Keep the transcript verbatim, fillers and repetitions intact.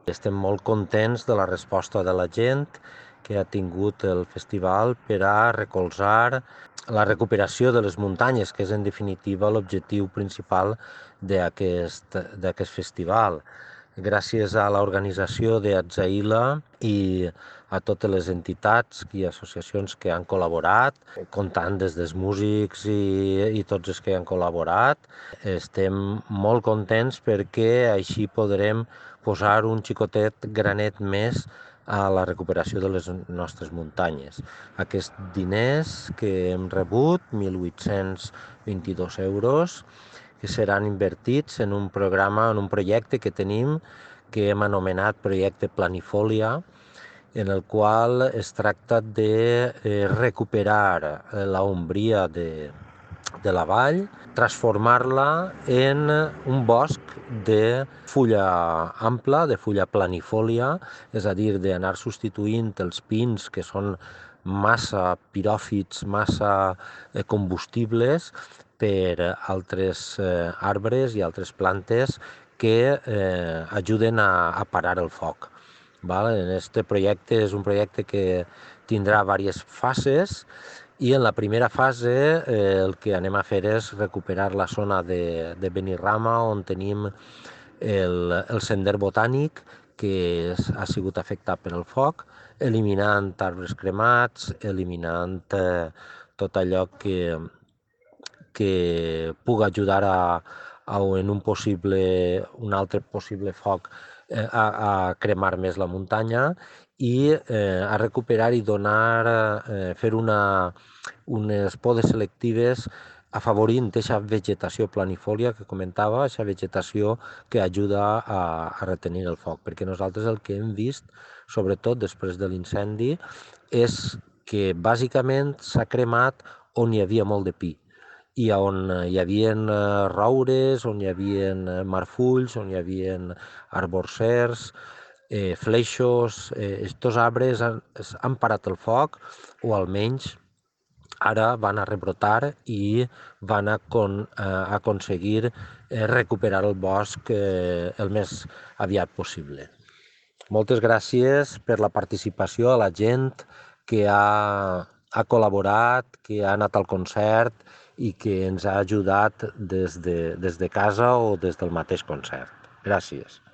Estem molt contents de la resposta de la gent que ha tingut el festival per a recolzar la recuperació de les muntanyes, que és en definitiva l'objectiu principal d'aquest d'aquest festival. Gràcies a l'organització d'Atzaïla i a totes les entitats i associacions que han col·laborat, comptant des dels músics i, i tots els que han col·laborat, estem molt contents perquè així podrem posar un xicotet granet més a la recuperació de les nostres muntanyes. Aquests diners que hem rebut, mil vuit-cents vint-i-dos euros, que seran invertits en un programa, en un projecte que tenim que hem anomenat Projecte Planifolia, en el qual es tracta de recuperar la ombria de, de la vall, transformar-la en un bosc de fulla ampla, de fulla planifòlia, és a dir, d'anar substituint els pins que són massa piròfits, massa combustibles, per altres eh, arbres i altres plantes que eh, ajuden a, a parar el foc. Val? En este projecte és un projecte que tindrà diverses fases i en la primera fase eh, el que anem a fer és recuperar la zona de, de Benirrama on tenim el, el sender botànic que és, ha sigut afectat per el foc, eliminant arbres cremats, eliminant eh, tot allò que, que pugui ajudar a, a en un possible, un altre possible foc eh, a, a cremar més la muntanya i eh, a recuperar i donar, eh, fer una, unes podes selectives afavorint aquesta vegetació planifòlia que comentava, aquesta vegetació que ajuda a, a retenir el foc, perquè nosaltres el que hem vist, sobretot després de l'incendi, és que bàsicament s'ha cremat on hi havia molt de pi i on hi havia roures, on hi havia marfulls, on hi havia arborsers, eh, fleixos. Eh, estos arbres han, han parat el foc, o almenys ara van a rebrotar i van a con, eh, aconseguir eh, recuperar el bosc eh, el més aviat possible. Moltes gràcies per la participació a la gent que ha, ha col·laborat, que ha anat al concert i que ens ha ajudat des de, des de casa o des del mateix concert. Gràcies.